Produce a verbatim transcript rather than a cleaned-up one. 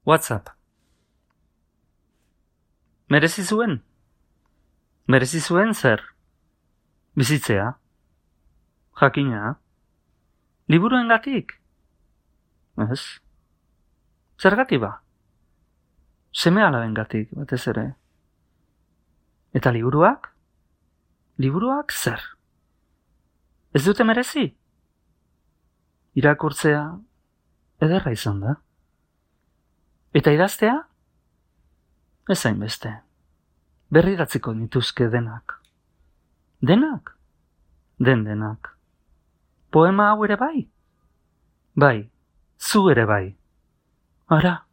WhatsApp. Merezi zuen? Merezi zuen zer? Bizitzea? Jakina? Liburuengatik? Ez? Zergatik ba? Seme-alabengatik, batez ere. Eta liburuak? Liburuak zer? Ez dute merezi? Irakurtzea ederra izan da. Eta idaztea? Ez hainbeste. Berridatziko nituzke denak. Denak? Den denak. Poema hau ere bai? Bai, zu ere bai. Ara,